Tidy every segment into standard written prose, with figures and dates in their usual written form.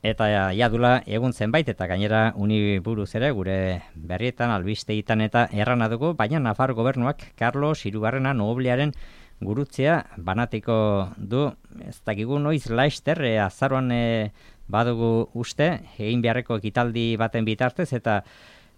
Eta ja dula egun zenbait eta gainera uni buruz ere gure berrietan albisteetan eta errana dugu, baina Nafar gobernuak Carlos Hirugarrena noblearen gurutzea banatiko du. Ez dakigu noiz laister azaroan badugu uste egin beharreko ekitaldi baten bitartez eta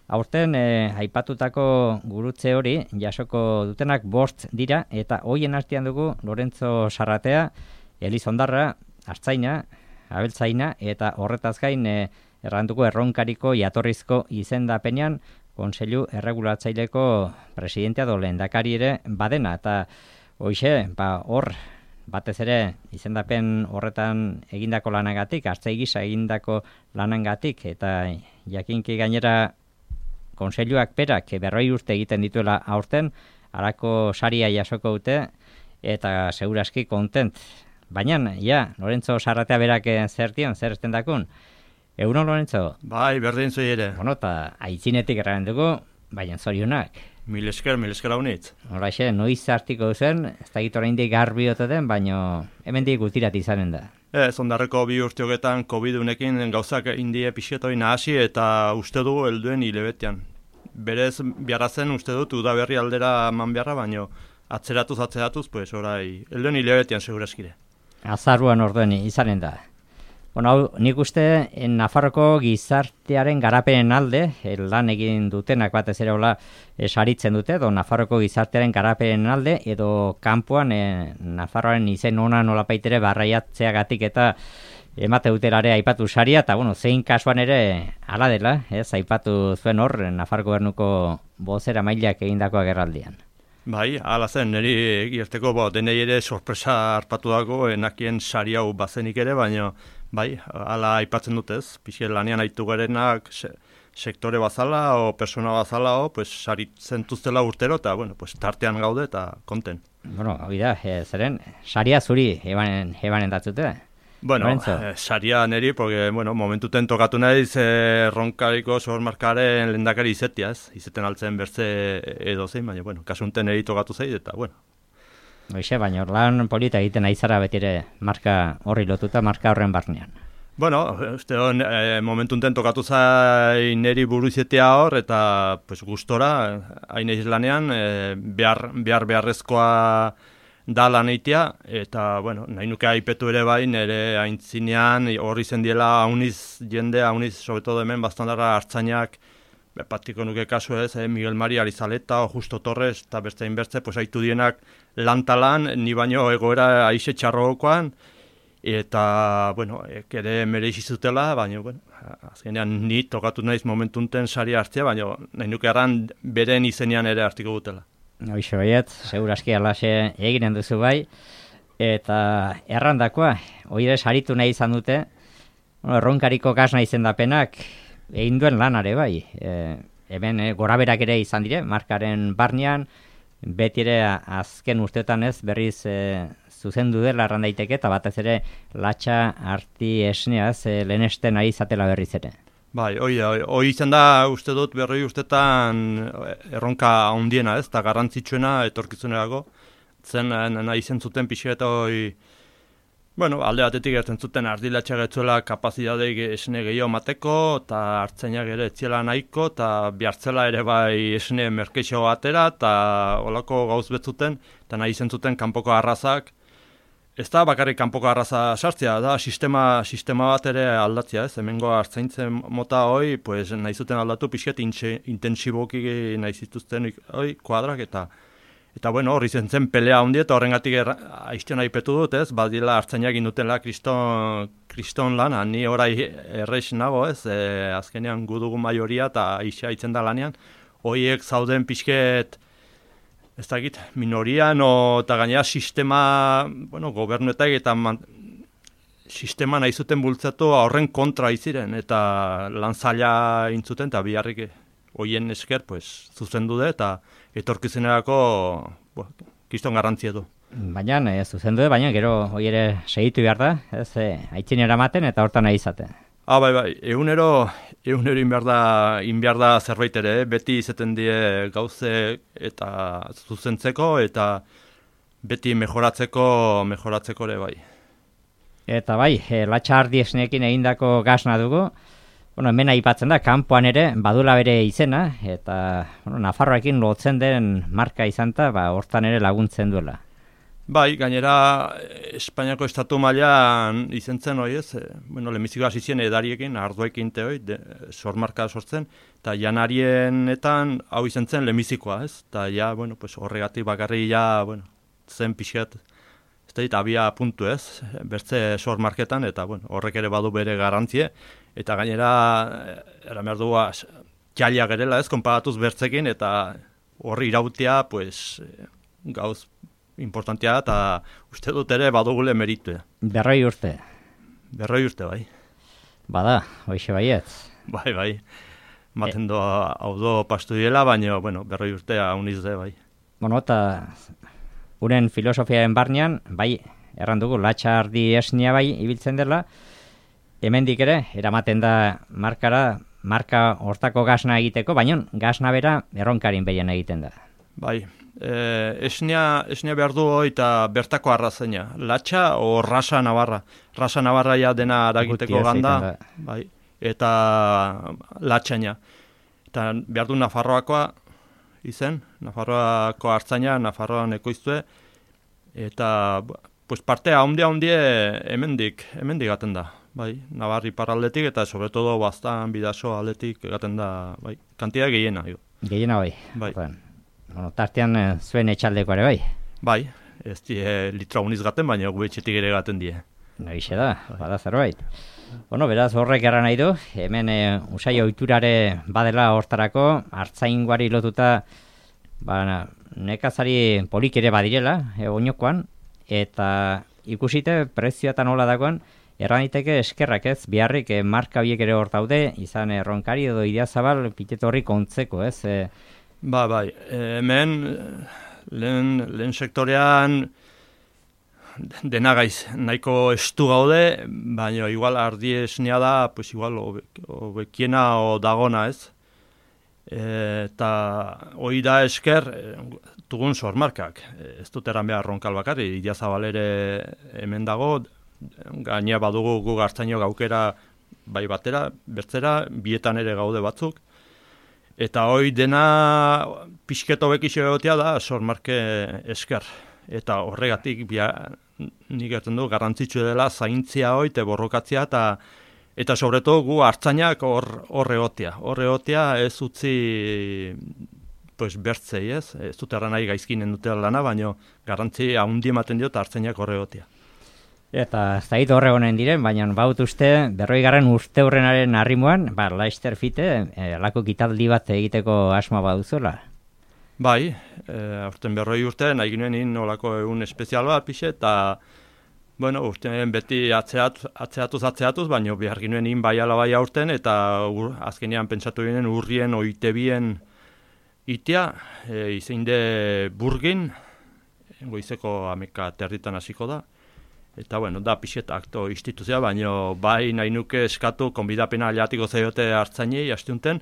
aurten aipatutako gurutze hori jasoko dutenak 5 dira eta hoien artean dugu Lorenzo Sarratea, Elizondarra, Artzaina, Abeltzaina eta horretaz gain erranduko erronkariko jatorrizko izendapenean Kontseilu Erregulatzaileko presidentea do lehendakari ere badena eta hoixe, hor batez ere izendapen horretan egindako lanagatik, hartzai gisa egindako lanangatik eta jakinki gainera Kontseiluak berak 40 urte egiten dituela aurten, halako saria jasoko dute eta seguraski kontent. Baina, Lorenzo Sarratea berak zer estendakun? Egunon, Lorenzo? Bai, berdin zui ere. Bueno, eta aitzinetik erragen dugu, baina zorionak. Mil esker haunitz. Horaixe, noiz hartiko duzen, ez da gitu oraindik garbi ote den, baina hemendik gutirat izanen da. Ondarreko 2 urteogetan COVID-unekin gauzak indie pixetoi nahasi eta uste dugu helduen hilebetean. Berez biarrazen uste dut udaberri aldera eman beharra, baina atzeratuz, pues orai, helduen hilebetean seguraskire. Azaruan orduen izanen da. Bueno, hau, nik uste Nafarroko gizartearen garapenen alde, lan egin dutenak batez ere hola saritzen dute, edo Nafarroko gizartearen garapenen alde, edo kanpoan Nafarroaren izen ona nolapaitere barraiatzeagatik eta emate dutelare aipatu saria, eta bueno, zein kasuan ere hala dela, aipatu zuen hor Nafar gobernuko bozera mailak egindako agerraldian. Bai, hala zen, niri egirteko denei ere sorpresa harpatu dago, enakien sari hau bazenik ere, baina bai, hala aipatzen dutez, pixel lanean aitu garenak sektore bazala o persona bazala pues saritzen tuztela urtero, eta bueno, pues tartean gaude eta konten. Bueno, hori da, zeren, saria zuri ebanen datzute. Bueno, saria neri, porque, bueno, momentuten tokatu naiz ronkariko sormarkaren lehendakari izetia, izeten altzen bertze edo zein, baina, bueno, kasunten neri tokatu zait, eta, bueno. Hoxe, baina lan polita egiten aizara betire marka horri lotuta, marka horren barnean. Bueno, uste hon, momentuten tokatu zai neri buru izetea hor, eta, pues, gustora, hain eiz lanean, beharrezkoa da lan eitea, eta, bueno, nahi nuke aipetu ere bai, nire aintzinean horri zendiela hauniz jende, hauniz, sobeto hemen, bastandarra hartzainak, patiko nuke kasu ez, Miguel Mari Arizaleta, o Justo Torres, eta beste inbertze, pues haitu dienak lantalan, ni baino egoera aixe txarrokoan, eta, bueno, ere mereixi zutela, baina, bueno, azkenean ni tokatu naiz momentunten sari hartzea, baina nahi nuke erran beren izenean ere hartiko dutela. Hoixo baiet, seguraski alaxe eginen duzu bai, eta errandakoa, oire saritu nahi izan dute, erronkariko gasna izendapenak egin duen lanare bai, hemen goraberak ere izan dire, markaren barnean, beti ere azken urtetan ez berriz zuzendu dela erran daiteke, eta batez ere latxa arti esneaz lehenesten ari izatela berriz ere. Bai, hoi izan da uste dut berroi ustetan erronka handiena ez, eta garrantzitsuena etorkizunerako, zen nahi zen zuten pixka eta bueno, alde batetik gertzen zuten ardilatxa getzuela kapazitateik esne gehiago mateko, eta hartzainak ere etziela nahiko, eta bihartzela ere bai esne merkeixo atera, eta olako gauz betzuten, eta nahi zen zuten kanpoko arrazak, ez da bakarrik kanpoko arraza sartzea, da sistema bat ere aldatzea, ez? Hemengo hartzaintzen mota hoi, pues, nahi zuten aldatu pixket intensiboki nahi zituzten kuadrak, eta bueno, horri zen pelea hundi, eta horrengatik aizten aipetu dut, ez? Badila hartzainak indutela kriston lana, ni orai errex nago, ez? Azkenean gudugu majoria eta aixa aitzen da lanean, hoiek zauden pixket, ez dakit, minorian eta gainera sistema, bueno, gobernuetak eta sistema nahi zuten bultzatu horren kontra iziren, eta lan zaila intzuten, eta biharrik hoien esker, pues, zuzendu dut, eta etorkizunerako kiston garrantzia du. Baina, zuzendu dut, baina gero hoi ere segitu behar da, ez, aitzinera ematen eta hortan nahi izaten. Bai, egunero inbiar da zerbait ere, beti izaten die gauze eta zuzentzeko eta beti mejoratzeko ere bai. Eta bai, Latxardi esneekin egindako gasna dugu. Bueno, hemen aipatzen da, kanpoan ere badula bere izena, eta Nafarroekin lotzen den marka izanta, hortan ere laguntzen duela. Bai, gainera Espainiako estatu mailan izen zen hori ez, lehenbiziko hasi ziren edariekin, ardoekin hori, sormarka sortzen, eta janarienetan hau izen zen lehenbizikoa ez, eta ja, horregatik bakarri ja, zen pixkat, ez da, abia puntu ez, bertze sormarketan, eta horrek ere badu bere garantzie, eta gainera, eran behar dugu, jaliak erela ez, konparatuz bertzekin, eta horri irautia, gauz importantea, eta uste dut ere badugule meritu. 40 urte. 40 urte, bai. Bada, hoixe baietz. Bai. Maten hau do pastu diela, baina, 40 urtea uniz de, bai. Eta uren filosofiaren barnean, bai, erran dugu, Latxardi esnia bai, ibiltzen dela, hemendik ere, eramaten da marka hortako gasna egiteko, baina gasna bera erronkarin behien egiten da. Bai, esnia behar du eta bertako arrazeina. Latxa o rasa navarra. Rasa navarra ja dena aragiteko ganda, bai, eta latxaina. Eta behar du Nafarroakoa izen, Nafarroako hartzaina, Nafarroan ekoiztue, eta partea handie hemendik gaten da. Bai, Navarri parraldetik eta sobretodo Baztan Bidaso aldetik gaten da, bai, kantia gehiena. Gehiena bai. Tartean zuen etxaldeko ere bai? Bai, ez die litra uniz gaten, baina gubetxetik ere gaten die. Nagixe da, bada zerbait. Beraz horrek erra nahi du, hemen usai ohiturare badela hortarako, hartzaingoari lotuta nekazari polik ere badirela, oinokoan, eta ikusite prezioetan hola dagoen, erran daiteke eskerrak ez, biharrik marka horiek ere hor daude, izan Ronkari edo Idiazabal piteto horri kontzeko ez. Bai, hemen lehen sektorean dena gaiz nahiko estu gaude, baina igual ardi esnea da, igual obekiena o dagona ez. Eta hori da esker dugun sormarkak. Ez dut eran behar Ronkal bakarri, Idiazabal ere hemen dago, gainea badugu gu hartzaino gaukera bai batera, bertzera, bietan ere gaude batzuk. Eta hoi dena pixketo bekixo egotea da sormarke esker. Eta horregatik nik gertzen du garrantzitsu dela zaintzia hoi, te borrokatzea, eta sobreto gu hartzainak hor egotea. Hor egotea ez utzi bertzei ez. Ez dut erran nahi gaizkinen dutela lana, baina garrantzi haundi ematen diot hartzainak hor egotea. Eta ez da horre honen diren, baina baut uste, 40. urte horrenaren arrimoan, Laster Fite, alako kitaldi bat egiteko asma baduzuela. Bai, aurten 40 urte, nahi ginen olako egun espezial bat pixe, eta urten beti atzeatuz, baina behar ginen bai ala bai aurten, eta azkenean pentsatu ginen urrien oitebien itea, izeinde burgin, goizeko 11 hasiko da. Eta da pixet akto instituzioa, baina bai nahi nuke eskatu konbidapena aliatiko zaiote hartzainei hastiunten,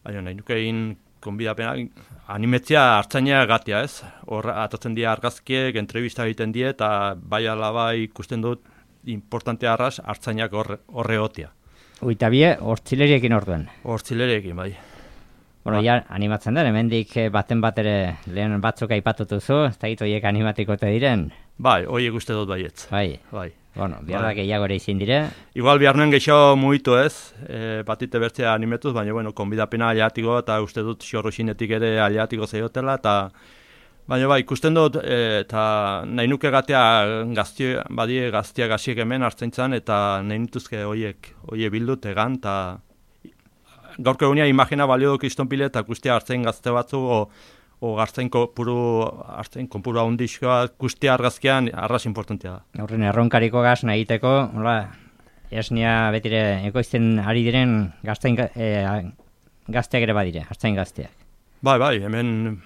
baina nahi nuke egin konbidapena animetzia hartzainea gatia ez. Hor atatzen dira argazkiek, entrevista egiten die, eta bai ala bai ikusten dut importantea arras hartzainak horre gotia. Uitabie, hortzileriekin orduen? Hortzileriekin, bai. Ja, animatzen da, hemendik baten bat ere lehen batzuk aipatutuzu, ez da horiek animatikote diren? Bai, horiek uste dut baietz. Bai. Biarra gehiago ere izin dire. Igual behar nuen gehiago mugitu ez, batite bertzea animetuz, baina konbidapena aliatiko eta uste dut xorroxinetik ere aliatiko zeiotela, eta baina bai, ikusten dut, eta nahi nuke gatea gaztiak hasiek hemen hartzaintzan, eta nahi nituzke horiek bildut egan, eta gaurko egunia imagina balio duk istonpile eta guztia hartzain gazte batzu, o hartzain konpuru handizkoa guztia argazkian arras importantea da. Horren erronkariko gazna egiteko, esnia betire ekoizten ari diren gazteak ere badire, hartzain gazteak. Bai, hemen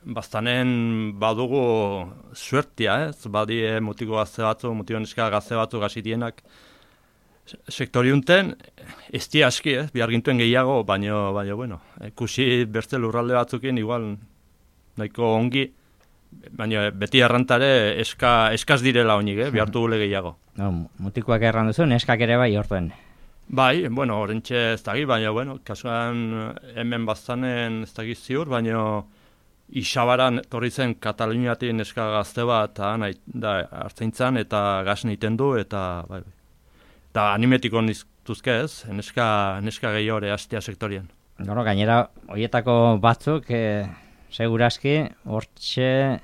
Baztanen badugu suertia, ez? Badie mutiko gazte batzu, mutiko neska gazte batzu gazitienak sektoriunten, ez di aski, bihar gintuen gehiago, baina, ikusi bertze lurralde batzukin, igual, nahiko ongi, baina beti errantare eskaz direla oinik, bihartu gule gehiago. No, mutikoak erran duzu, neskak ere bai orduen. Bai, bueno, orentxe ez dagi, baina, bueno, kasuan hemen bazanen ez dagi ziur, baina Isabaran torri zen Kataluniatik neska gazte bat da hartzaintzan eta gas egiten du, eta bai. Eta animetiko niztuzke ez, neska gehiore hastia sektorian. Bueno, gainera, horietako batzuk, seguraski, hortxe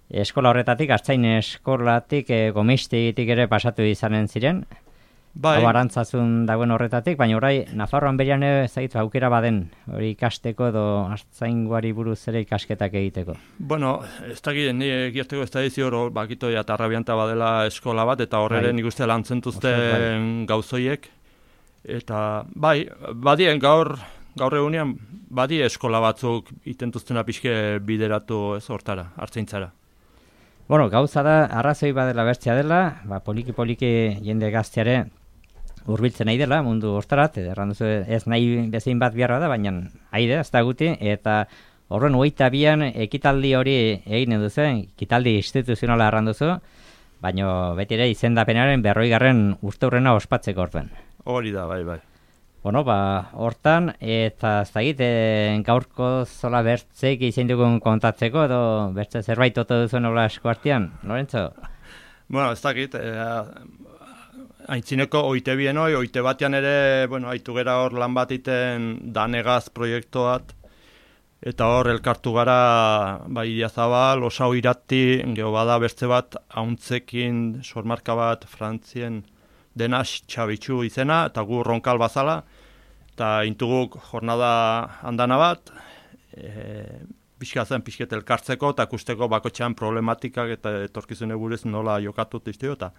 eskola horretatik, hartzain eskolatik, gomiztegitik ere pasatu izanen ziren. Bai. Hau arantzazun dagoen horretatik, baina orai Nafarroan berian zaitu aukera baden, hori ikasteko edo hartzaingoari buruz ere ikasketak egiteko. Bueno, ez dakit, ni gerteko ez da hor bakito eta arrabianta badela eskola bat, eta horre nik uste lantzentuzten gauzoiek. Eta bai, badien gaur egunean, badi eskola batzuk itentuztena pixke bideratu ez hortara, hartzaintzara. Bueno, gauza da, arrazoi badela bertzea dela, poliki jende gazteare hurbiltzen nahi dela mundu hortarat, erranduzu ez nahi bezein bat biharra da, baina haide, ez da guti, eta horren 22an ekitaldi hori egin duzu, ekitaldi instituzionala erranduzu, baina beti ere izendapenaren 40. urteurrena ospatzeko orduen. Hori da, bai. Bueno, hortan, eta ez da egiten gaurko zola bertzeik izan dugun kontatzeko, edo bertze zerbait oto duzu nola asko artean, Lorenzo? Bueno, ez dakit, aintzineko oite bien oite batean ere, bueno, haitu gera hor lan bat iten danegaz proiektuat, eta hor elkartu gara, bai Idiazabal, Osao Irati, geho bada bertze bat, hauntzekin, sormarka bat, Frantzien, Denas Txabitxu izena, eta gu Ronkal bazala, eta intuguk jornada handana bat, pixket elkartzeko, eta kusteko bakotxean problematikak eta etorkizune buruz nola jokatut izteo, eta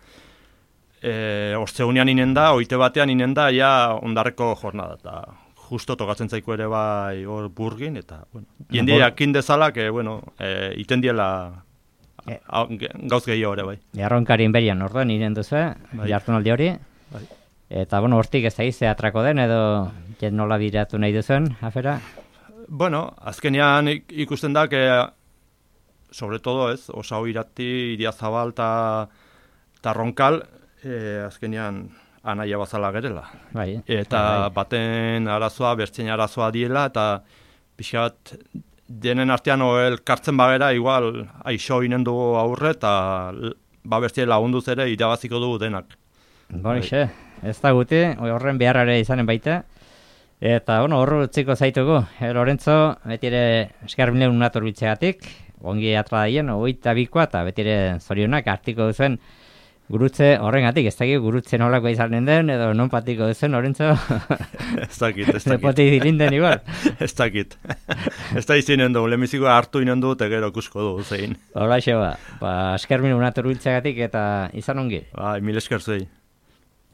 ortzeunean inen da, oite batean inen da, ja ondarreko jornada, eta justo tokatzen zaiko ere bai hor burgin, eta, bueno, jende jakin dezala, iten diela gauz gehiago ere bai. Erronkarin berian orduen iren duzu, jartunaldi hori. Bai. Eta, bueno, hortik ez da izte atrako den, edo jen nola biratu nahi duzuen, afera? Bueno, azkenean ikusten da, sobre todo ez, Osao Irati, Idiazabal eta Ronkal, azkenean anaia bazala gerela. Bai. Eta baten arazoa, bertzen arazoa diela, eta pixat denen artean elkartzen bagera, igual, aixo inen dugu aurre, eta bertzen lagunduz ere irabaziko dugu denak. Bonixe, ez da guti, horren beharrare izanen baita. Eta, bueno, horro utziko zaitugu. Lorenzo, beti ere eskarbilen unator bitzegatik, ongi atra daien, 22koa, eta beti ere zorionak artiko duzuen gurutze horrengatik, ez dakit gurutze nolako izanen den, edo non patiko duzen, Lorenzo? Ez dakit. Repoti dirinden igual. Ez dakit. Ez da izinen du, lemizikoa hartu inen du, tegero kusko du zein. Hola, eskermin unator biltzegatik eta izan ongi. Bai, mil esker zuei.